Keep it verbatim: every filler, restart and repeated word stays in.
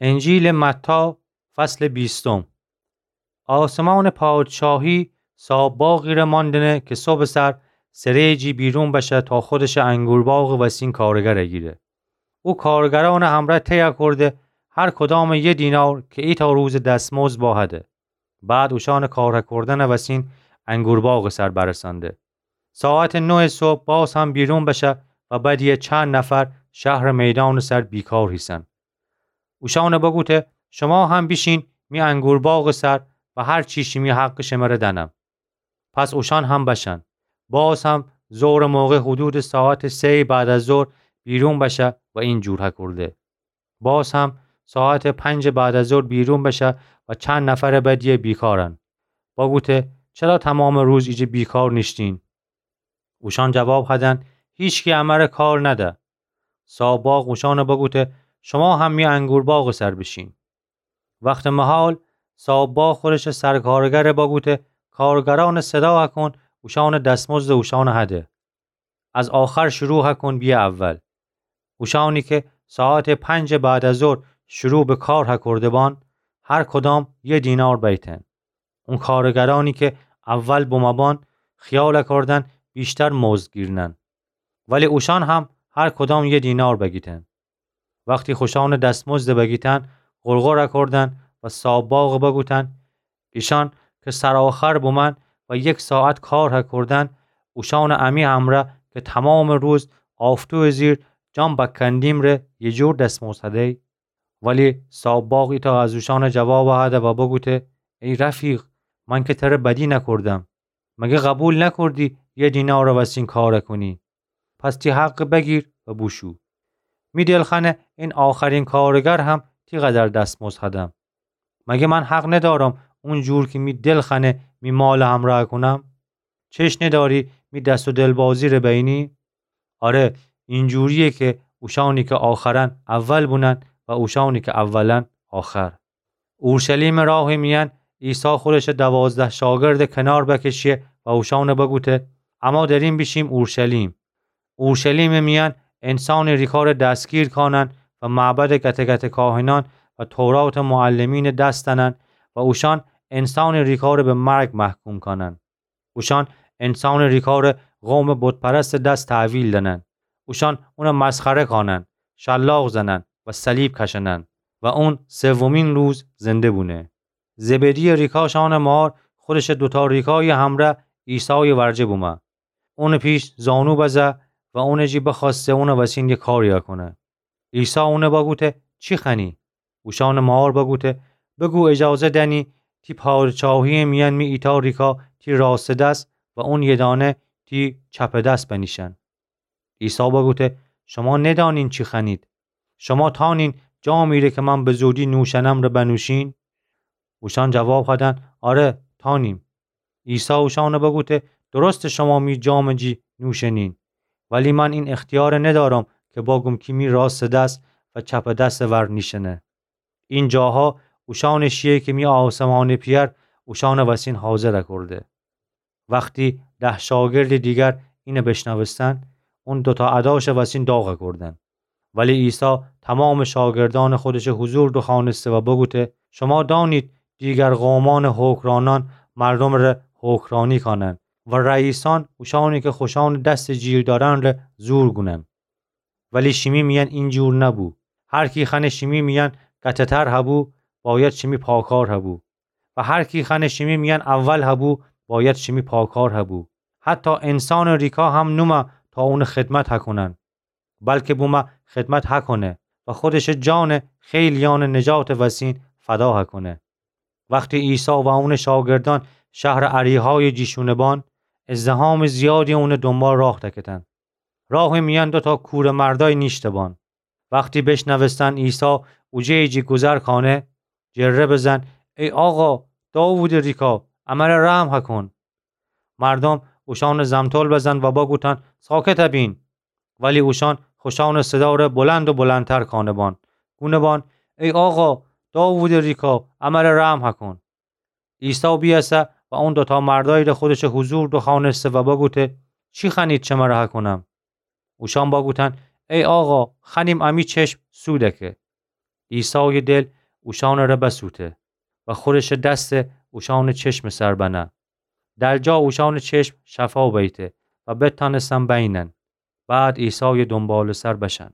انجیلٚ متی، فصلٚ بیستم. آسمانٚ پادشاهی صاحاب‌باغی‌ره ماندنه کی صبحٚ سر سره‌یٚ جی بیرون بشه تا خودشٚ انگورباغٚ وسین کارگره گیره. او کارگرأنٚ همرأ طی کرده، هر کدامٚ یه دینار کی ایتأ روزٚ دستمزد بهده. بعد اوشأنٚ کار کردنٚ وسین انگورباغٚ سر برسانده. ساعتٚ نوهٚ صبح باز هم بیرون بشه و بدیه چند نفر شهرٚ میدانٚ سر بیکار هیسن. اوشأنٚ بگوته، شما هم بیشین می انگورباغٚ سر و هر چی شیمی حقٚ شمره دنم. پس اوشأن هم بشن. باز هم ظهرٚ موقع حدودٚ ساعتٚ سه‌یٚ بعد از ظهر بیرون بشه و این جور هکرده. باز هم ساعتٚ پنجٚ بعد از ظهر بیرون بشه و چند نفرٚ بدیه بیکارن. بگوته، چرا تمامٚ روز ایجه بیکار نیشتین؟ اوشأن جواب هدن، هیچکی امره کار نده. صاحاب‌باغ اوشأنٚ بگوته، شما هم می انگورباغٚ سر بیشین. وختٚ مهال صاحاب‌باغ خودشٚ سرکارگره بگوته، کارگرأنٚ صدا هکن، اوشأنٚ دستمزدٚ اوشأنٚ هده. از آخر شروع هکن بیه اول. اوشأنی کی ساعتٚ پنجٚ بعد از ظهر شروع به کار هکرده بان، هر کدام یه دینار بیتن. اون کارگرأنی کی اول بمه بان، خیال کردن ویشتر مزد گیرنن. ولی اوشأن هم هر کدام یه دینار بگیتن. وختی خوشأنٚ دستمزد بگیتن، غرغر کردن و صاحاب‌باغ بگوتن، ایشأن کی سرآخر بومن و یک ساعت کار هکردن، اوشأنٚ امی امرأ کی تمامٚ روز آفتویٚ زیر جان بکندیم ره یه جور دستمزد هدی؟ ولی صاحاب‌باغ ایتأ از اوشأن جواب هده و بگوته، ای رفیق، من کی تره بدی نکردم. مگه قبول نکردی یه دینارٚ وسین کار کنی؟ پس تی حق بگیر و بوشو. می دل خأنه این آخرین کارگر هم تی قدر دستمزد هدم. مگه من حق ندارم اون جور کی می دل خأنه می مالٚ همرأ کونم؟ چشم نداری می دست و دلبازی ره بینی؟ آره، این جوریه کی اوشأنی کی آخرن اول بونن و اوشأنی کی اولن آخر. اورشلیمٚ راهٚ میأن عیسی خودشٚ دوازده شاگردٚ کنار بکشه و اوشأن بگوته، اما دریم بیشیم اورشلیم. اورشلیمٚ میأن انسانٚ ریکار دستگیر کانن و معبدٚ گته گته کاهنأن و توراتٚ معلمینٚ دس دأنن و اوشأن انسانٚ ریکار به مرگ محکوم کانن. اوشأن انسانٚ ریکار قومٚ بت‌پرستٚ دس تحویل دأنن. اوشأن اون مسخره کانن، شلاق زنن و صلیب کشنن و اون سومین روز زنده بونه. زبدی‌یٚ ریکا شأنٚ مار خودشٚ دوتا ریکایٚ همرأ عیسایٚ ورجه بومه. اونٚ پیش زانو بزه و اونٚ جی بخوأسته اونٚ وسین یه کاری کونه. عیسی اون بگوته، چی خوأنی؟ اوشأنٚ مار بگوته، بگو اجازه دأنی تی پادشاهی‌یٚ میأن می ایتأ ریکا تی راستٚ دس و اون یه دانه تی چپٚ دس بنیشن. عیسی بگوته، شما ندانین چی خوأنید. شما تانین جامی ره کی من به زودی نوشنم ره بنوشین؟ اوشأن جواب هدن، آره، تانیم. عیسی اوشأن بگوته، درسته شما می جامٚ جی نوشنین، ولی من این اختیار ندارم کی بگوم کی می راستٚ دس و چپٚ دسٚ ور نیشنه. این جاها اوشأنٚ شیه کی می آسمانٚ پئر اوشأنٚ وسین حاضر کرده. وختی ده شاگردٚ دیگر اینٚ بشنوستن، اون دوتا اداشٚ وسین داغ کردن. ولی عیسی تمامٚ شاگردأنٚ خودشٚ حضور دوخوأنسته و بگوته، شما دانید دیگر قومأنٚ حکمرأنأن مردمٚ ره حکمرأنی کانن و رئیسأن اوشأنی کی خوشأنٚ دسٚ جیر دأرن ره زور گونن. ولی شیمی میأن این جور نبو. هر کی خوأنه شیمی میأن گته‌تر هبو، باید شیمی پاکار هبو. و هر کی خوأنه شیمی میأن اول هبو، باید شیمی پاکار هبو. حتی انسانٚ ریکا هم نومه تا اونٚ خدمت هکونن، بلکی بومه خدمت هکونه و خودشٚ جان خیلیأنٚ نجاتٚ وسین فدا هکونه. وختی عیسی و اونٚ شاگردأن شهرٚ اریحایٚ جی شونه بان، ازدحامٚ زیادی اونٚ دونبال راه دکتن. راهٚ میأن دوتا کوره‌مردأی نیشته بان. وختی بشنوستن عیسی اوجه‌یٚ جی گوذر کانه، جره بزن، ای آقا، داوودٚ ریکا، امره رحم هکون. مردم اوشأن زمتول بزن و بگوتن، ساکت بین. ولی اوشأن خوشأنٚ صدا ره بلند و بلندتر کانه بان، گونه بان، ای آقا، داوودٚ ریکا، امره رحم هکون. عیسی بیأسه و اون دوتا مردأی ره خودشٚ حضور دوخوأنسته و بگوته، چی خوأنید شمره هکونم؟ اوشأن بگوتن، ای آقا، خوأنیم امی چشم سو دکه. عیسایٚ دل اوشأنٚ ره بسوته و خورشٚ دس اوشأنٚ چشمٚ سر بنه. در جا اوشأنٚ چشم شفا بیته و بتأنستن بینن. بعد عیسایٚ دونبالٚ سر بشن.